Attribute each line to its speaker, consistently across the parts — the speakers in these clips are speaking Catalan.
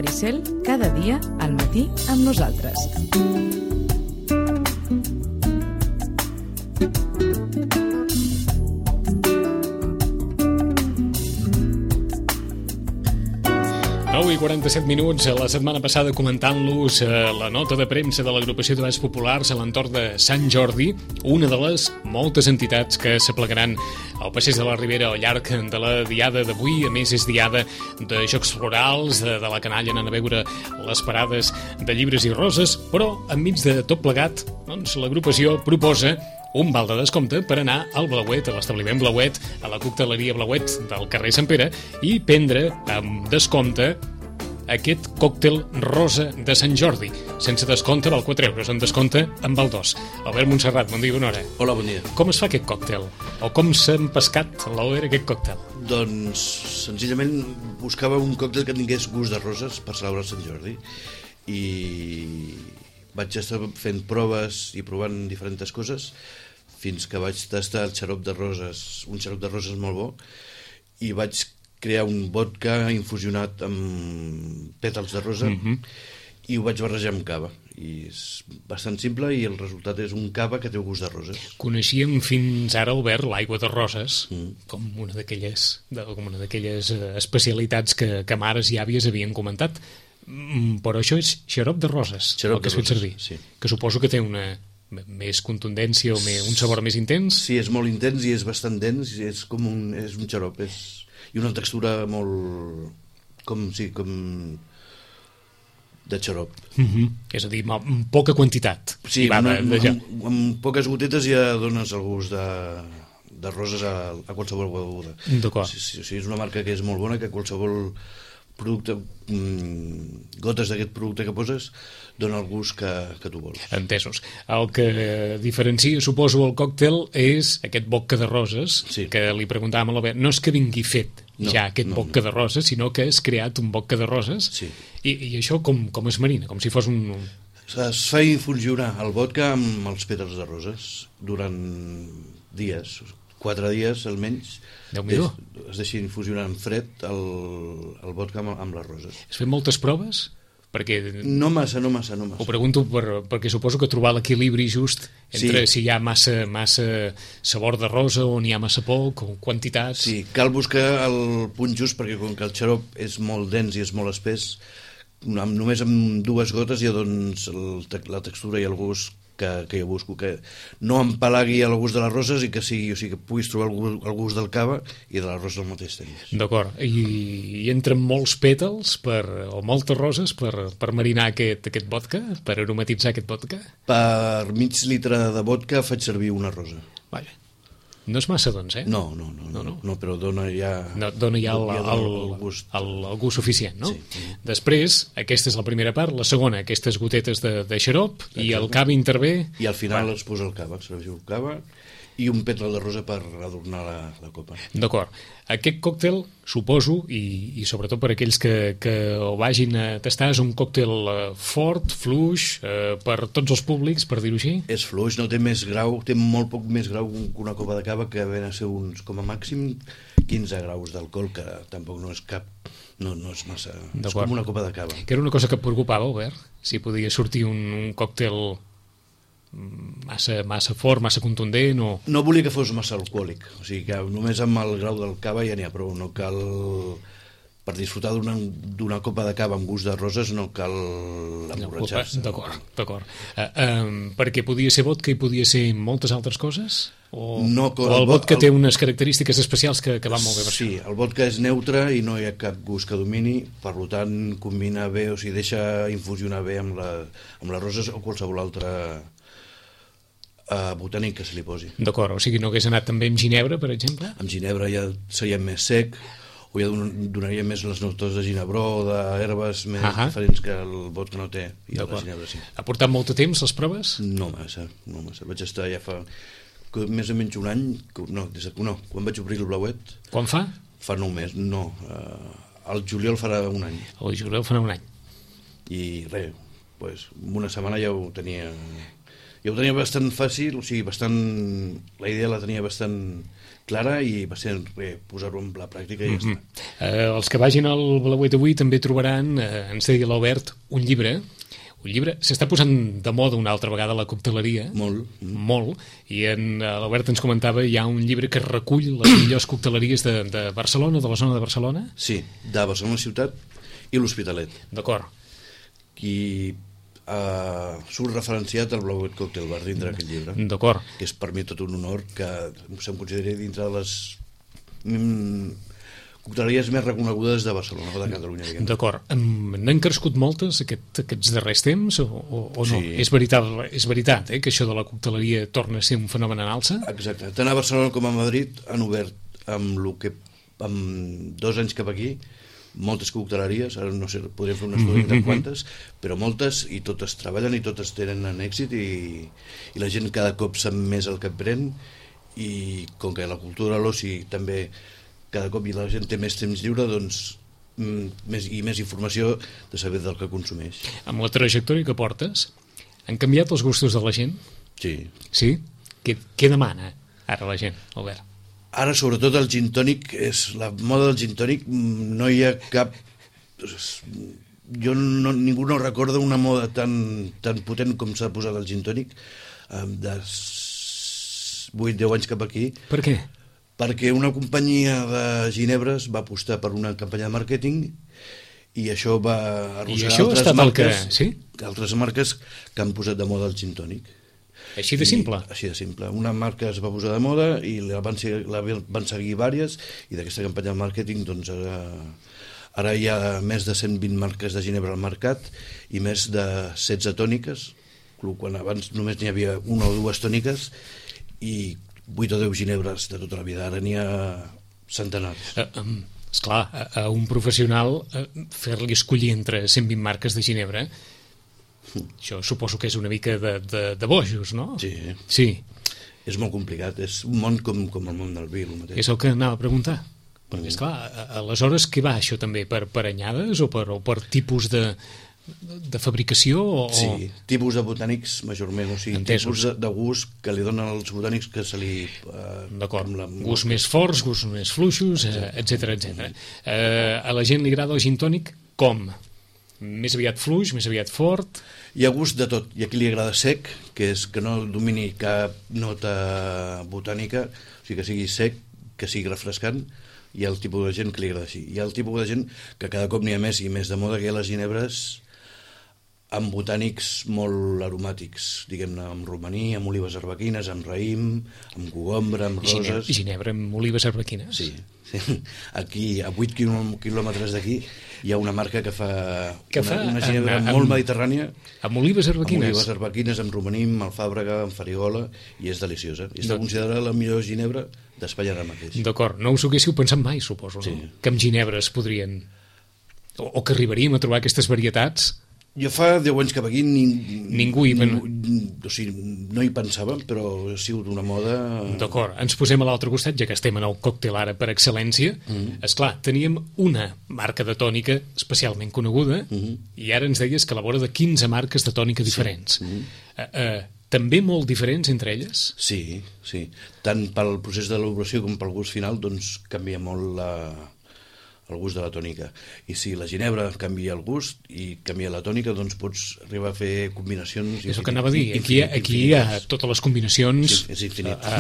Speaker 1: Maricel, cada dia al matí amb nosaltres.
Speaker 2: I 47 minuts, la setmana passada comentant-los la nota de premsa de l'agrupació de Balls Populars a l'entorn de Sant Jordi, una de les moltes entitats que s'aplegaran al passeig de la Ribera al llarg de la diada d'avui. A més, és diada de jocs florals, de la canalla anant a veure les parades de llibres i roses, però enmig de tot plegat, doncs, l'agrupació proposa un val de descompte per anar al Blauet, a l'establiment Blauet, a la cocteleria Blauet del carrer Sant Pere, i prendre amb descompte aquest còctel rosa de Sant Jordi. Sense descompte val 4 euros, en descompte en val 2. Albert Montserrat, bon dia, bona hora.
Speaker 3: Hola, bon dia.
Speaker 2: Com es fa aquest còctel? O com s'ha empescat a l'Oer aquest còctel?
Speaker 3: Doncs, senzillament, buscava un còctel que tingués gust de roses per celebrar Sant Jordi. I vaig estar fent proves i provant diferents coses fins que vaig tastar el xarop de roses, un xarop de roses molt bo, i vaig crear un vodka infusionat amb pètals de rosa i ho vaig barrejar amb cava. I és bastant simple i el resultat és un cava que té gust de roses.
Speaker 2: Coneixíem fins ara, Albert, l'aigua de roses com una d'aquelles especialitats que mares i àvies havien comentat. Però això és xarop de roses,
Speaker 3: xarop
Speaker 2: el que has fet servir,
Speaker 3: sí.
Speaker 2: Que suposo que té una més contundència o un sabor més intens.
Speaker 3: Sí, és molt intens i és bastant dens, és un xarop, i una textura molt com de xarop.
Speaker 2: És a dir, amb poca quantitat.
Speaker 3: Sí, amb poques gotetes ja dones el gust de roses a qualsevol beguda.
Speaker 2: D'acord.
Speaker 3: Sí, és una marca que és molt bona, que qualsevol producte, gotes d'aquest producte que poses dona el gust que tu vols.
Speaker 2: Entesos. El que diferencia, suposo, el còctel és aquest vodka de roses, sí, que li preguntàvem a l'Albert. No és que vingui fet aquest vodka de roses, sinó que has creat un vodka de roses, sí. I això com es marina? Com si fos un...
Speaker 3: Es fa infusionar el vodka amb els pètals de roses durant dies, 4 dies almenys. Es deixa infusionar en fred el vodka amb les roses.
Speaker 2: Has fet moltes proves? Perquè...
Speaker 3: No massa.
Speaker 2: Ho pregunto perquè suposo que trobar l'equilibri just entre si hi ha massa sabor de rosa o n'hi ha massa poc, o quantitats...
Speaker 3: Sí, cal buscar el punt just, perquè com que el xarop és molt dens i és molt espès, només amb 2 gotes ja doncs la textura i el gust que jo busco, que no empalagui el gust de les roses i que sigui, o sigui, que puguis trobar el gust del cava i de les roses al mateix temps.
Speaker 2: D'acord, i entren molts pètals o moltes roses per marinar aquest vodka, per aromatitzar aquest vodka?
Speaker 3: Per mig litre de vodka faig servir una rosa.
Speaker 2: Vaja. No és massa, doncs,
Speaker 3: No, però dona ja...
Speaker 2: Dona ja el gust suficient, no? Sí. Després, aquesta és la primera part, la segona, aquestes gotetes de xarop, i el cava intervé...
Speaker 3: I al final es posa el cava, serveixo el cava i un pètal de rosa per adornar la copa.
Speaker 2: D'acord. Aquest còctel, suposo, i sobretot per aquells que ho vagin a tastar, és un còctel fort, fluix, per tots els públics, per dir-ho així?
Speaker 3: És fluix, no té més grau, té molt poc més grau que una copa de cava, que ven a ser uns, com a màxim, 15 graus d'alcohol, que tampoc no és cap... No és massa... És com una copa de cava.
Speaker 2: Que era una cosa que et preocupava, Albert? Si podia sortir un còctel massa fort, massa contundent o...
Speaker 3: No volia que fos massa alcohòlic, o sigui que només amb el grau del cava ja n'hi ha prou, no cal... Per disfrutar d'una copa de cava amb gust de roses no cal emborratxar-se.
Speaker 2: D'acord. Perquè podia ser vodka i podia ser moltes altres coses? O el vodka té unes característiques especials que van molt bé per
Speaker 3: això? Sí, el vodka és neutre i no hi ha cap gust que domini, per tant combina bé, o sigui, deixa infusionar bé amb les roses o qualsevol altre botànic que se li posi.
Speaker 2: D'acord, o sigui, no hagués anat també amb ginebra, per exemple?
Speaker 3: Amb ginebra ja seria més sec, o ja donaria més les notes de ginebró o d'herbes més diferents que el vodka no té. I la ginebra sí.
Speaker 2: Ha portat molt de temps les proves?
Speaker 3: No massa. Vaig estar ja fa més o menys un any, quan vaig obrir el Blauet.
Speaker 2: Quan fa?
Speaker 3: Fa 9 mesos, no. El juliol farà un any.
Speaker 2: El juliol farà un any.
Speaker 3: I res, en una setmana ja ho tenia Jo ho tenia bastant fàcil, o sigui, la idea la tenia bastant clara i va ser posar-ho en la pràctica i ja està.
Speaker 2: Els que vagin al Blauet d'avui també trobaran, ens deia l'Albert, un llibre s'està posant de moda una altra vegada a la cocteleria. Molt. I l'Albert ens comentava, hi ha un llibre que recull les millors cocteleries de Barcelona, de la zona de Barcelona?
Speaker 3: Sí, de Barcelona ciutat i l'Hospitalet.
Speaker 2: D'acord.
Speaker 3: Qui surt referenciat al Blauet Cocktail Bar dintre d'aquest llibre.
Speaker 2: D'acord.
Speaker 3: Que és per mi tot un honor que se'm consideri dintre de les cocteleries més reconegudes de Barcelona o de Catalunya.
Speaker 2: D'acord. N'han crescut moltes aquests darrers temps o no?
Speaker 3: Sí.
Speaker 2: És veritat que això de la cocteleria torna a ser un fenomen en alça?
Speaker 3: Exacte. Tant a Barcelona com a Madrid han obert amb 2 anys cap aquí moltes cocteleries, ara no sé, podríem fer un estudi de quantes, però moltes, i totes treballen i totes tenen èxit i la gent cada cop sap més el que pren, i com que la cultura de l'oci també cada cop la gent té més temps lliure, doncs més informació de saber del que consumeix.
Speaker 2: Amb la trajectòria que portes, han canviat els gustos de la gent?
Speaker 3: Sí.
Speaker 2: Sí? Què demana ara la gent, Albert?
Speaker 3: Ara, sobretot, el gin tònic, la moda del gin tònic, no hi ha cap... Ningú no recorda una moda tan potent com s'ha posat el gin tònic de 8-10 anys cap aquí.
Speaker 2: Per què?
Speaker 3: Perquè una companyia de ginebres va apostar per una campanya de màrqueting i això va arrossegar altres marques que han posat de moda el gin tònic.
Speaker 2: Així de simple?
Speaker 3: Així de simple. Una marca es va posar de moda i la van seguir diverses, i d'aquesta campanya de màrqueting doncs ara hi ha més de 120 marques de ginebra al mercat i més de 16 tòniques, quan abans només n'hi havia una o dues tòniques i 8 o 10 ginebres de tota la vida. Ara n'hi ha centenars.
Speaker 2: Esclar, a un professional fer-li escollir entre 120 marques de ginebra, això suposo que és una mica de bojos, no?
Speaker 3: Sí. És molt complicat, és un món com el món del vi.
Speaker 2: És el que anava a preguntar. Perquè, esclar, aleshores què va això també? Per anyades o per tipus de fabricació?
Speaker 3: Sí, tipus de botànics majorment, o sigui, tipus de gust que li donen als botànics que se li...
Speaker 2: D'acord, gusts més forts, gusts més fluixos, etc. A la gent li agrada el gin tònic com? Més aviat fluix, més aviat fort?
Speaker 3: Hi ha gust de tot. Hi ha qui li agrada sec, que és que no domini cap nota botànica, o sigui que sigui sec, que sigui refrescant. Hi ha el tipus de gent que li agrada així. Hi ha el tipus de gent que cada cop n'hi ha més i més de moda, que hi ha les ginebres amb botànics molt aromàtics, diguem-ne, amb romaní, amb olives arbequines, amb raïm, amb cogombra, amb roses...
Speaker 2: Ginebra amb olives arbequines?
Speaker 3: Sí. Aquí, a 8 quilòmetres d'aquí, hi ha una marca que fa una ginebra molt mediterrània.
Speaker 2: Amb olives arbequines?
Speaker 3: Amb olives arbequines, amb romaní, amb alfàbrega, amb farigola, i és deliciosa. I està considerada la millor ginebra d'Espanya ara mateix.
Speaker 2: D'acord, no us ho haguéssiu pensat mai, suposo, no? Que amb ginebra es podrien... O que arribaríem a trobar aquestes varietats...
Speaker 3: Jo fa 10 anys cap aquí
Speaker 2: ningú
Speaker 3: no hi pensava, però ha sigut una moda...
Speaker 2: D'acord, ens posem a l'altre costat, ja que estem en el còctel ara per excel·lència. Esclar, teníem una marca de tònica especialment coneguda i ara ens deies que a la vora de 15 marques de tònica diferents. També molt diferents entre elles?
Speaker 3: Sí. Tant pel procés d'elaboració com pel gust final, doncs canvia molt el gust de la tònica. I si la ginebra canvia el gust i canvia la tònica, doncs pots arribar a fer combinacions...
Speaker 2: És el que anava a dir. Aquí hi ha totes les combinacions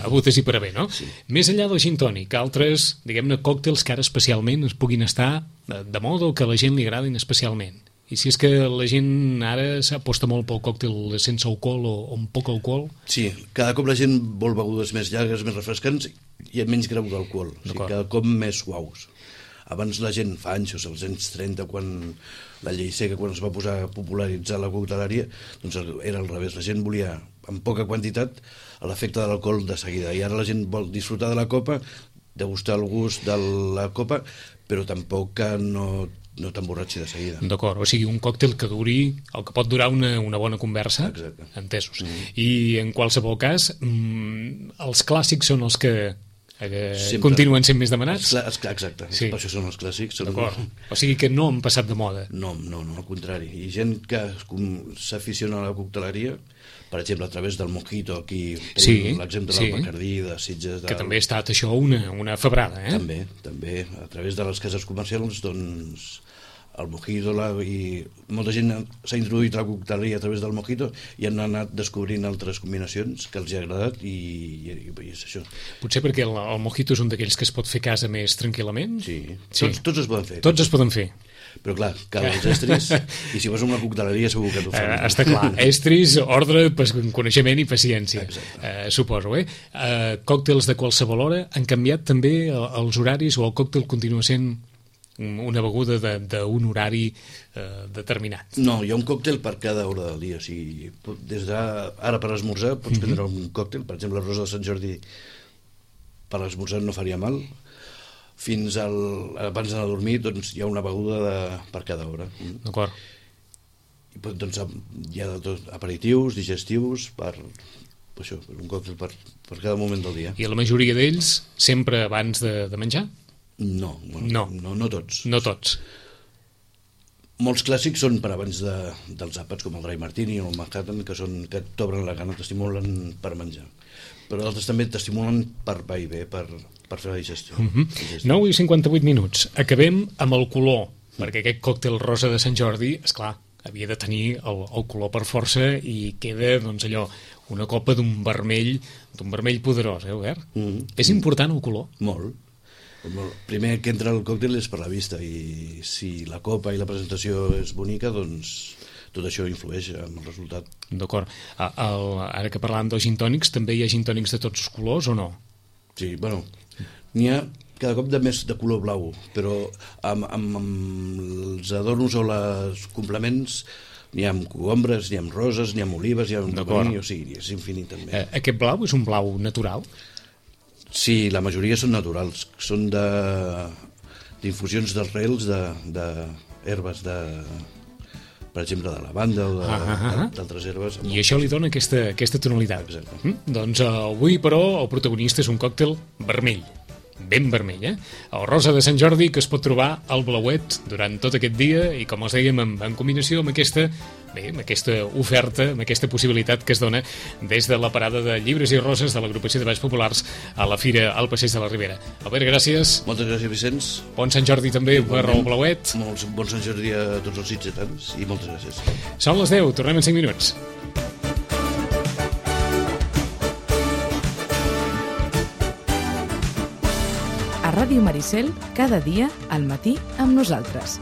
Speaker 2: hagudes i per haver, no?
Speaker 3: Sí.
Speaker 2: Més enllà del gin tònic, altres, diguem-ne, còctels que ara especialment es puguin estar de moda o que a la gent li agradin especialment. I si és que la gent ara s'aposta molt pel còctel sense alcohol o amb poc alcohol?
Speaker 3: Sí, cada cop la gent vol begudes més llargues, més refrescants i amb menys grau d'alcohol. O sigui, cada cop més suaus. Abans la gent, fa anys, als anys 30, quan la llei seca, quan es va posar a popularitzar la cocteleria, doncs era al revés. La gent volia, amb poca quantitat, l'efecte de l'alcohol de seguida. I ara la gent vol disfrutar de la copa, degustar el gust de la copa, però tampoc que no t'emborratxi de seguida.
Speaker 2: D'acord, o sigui, un còctel que duri el que pot durar una bona conversa.
Speaker 3: Exacte.
Speaker 2: Entesos. I en qualsevol cas, els clàssics són els que continuen sent més demanats?
Speaker 3: Exacte,
Speaker 2: sí.
Speaker 3: Per això són els clàssics.
Speaker 2: D'acord, o sigui que no han passat de moda.
Speaker 3: No, al contrari. Hi ha gent que s'aficiona a la cocteleria, per exemple, a través del mojito, aquí tenim l'exemple del Bacardí, de Sitges...
Speaker 2: Que també ha estat això una febrada,
Speaker 3: També, a través de les cases comercials, doncs, el mojito, i molta gent s'ha introduït a la cocteleria a través del mojito i han anat descobrint altres combinacions que els ha agradat i és això.
Speaker 2: Potser perquè el mojito és un d'aquells que es pot fer a casa més tranquil·lament?
Speaker 3: Sí. Tots es poden fer.
Speaker 2: Tots es poden fer.
Speaker 3: Però clar, cal els estris i si vas a una cocteleria segur que t'ho fan.
Speaker 2: Està clar, estris, ordre, coneixement i paciència, suposo. Còctels de qualsevol hora han canviat també els horaris o el còctel continua sent una beguda d'un horari determinat?
Speaker 3: No, hi ha un còctel per cada hora del dia. O sigui, des d'ara per esmorzar pots prendre un còctel, per exemple la rosa de Sant Jordi per esmorzar no faria mal, fins abans d'anar a dormir doncs hi ha una beguda per cada hora.
Speaker 2: D'acord.
Speaker 3: I doncs hi ha aperitius, digestius, un còctel per cada moment del dia.
Speaker 2: I la majoria d'ells sempre abans de menjar?
Speaker 3: No tots.
Speaker 2: No tots.
Speaker 3: Molts clàssics són per abans dels àpats, com el Dry Martini o el Manhattan, que t'obren la gana, t'estimulen per menjar. Però d'altres també t'estimulen per va i bé, per fer la digestió.
Speaker 2: 9:58. Acabem amb el color, perquè aquest còctel rosa de Sant Jordi, esclar, havia de tenir el color per força i queda, doncs allò, una copa d'un vermell poderós, Albert? És important el color?
Speaker 3: Molt. El primer que entra al còctel és per la vista i si la copa i la presentació és bonica, doncs tot això influeix en el resultat.
Speaker 2: D'acord. Ara que parlàvem dels gintònics, també hi ha gintònics de tots els colors o no?
Speaker 3: Sí, bueno, n'hi ha cada cop de més de color blau, però amb els adornos o els complements n'hi ha amb cogombres, n'hi ha amb roses, n'hi ha amb olives, n'hi ha amb cogomí, o sigui, és infinit també.
Speaker 2: Aquest blau és un blau natural?
Speaker 3: Sí, la majoria són naturals, són d'infusions d'arrels d'herbes, per exemple, de lavanda o d'altres herbes.
Speaker 2: I això li dona aquesta tonalitat.
Speaker 3: Exacte.
Speaker 2: Doncs avui, però, el protagonista és un còctel vermell, ben vermell, el rosa de Sant Jordi, que es pot trobar al Blauet durant tot aquest dia i, com els dèiem, en combinació amb aquesta oferta, amb aquesta possibilitat que es dona des de la parada de llibres i roses de l'agrupació de Balls Populars a la Fira al Passeig de la Ribera. Albert, gràcies.
Speaker 3: Moltes gràcies, Vicenç.
Speaker 2: Bon Sant Jordi també per al Blauet.
Speaker 3: Bon Sant Jordi a tots els sitgetans i moltes gràcies.
Speaker 2: Són les 10, tornem en 5 minuts.
Speaker 1: A Ràdio Maricel, cada dia al matí amb nosaltres.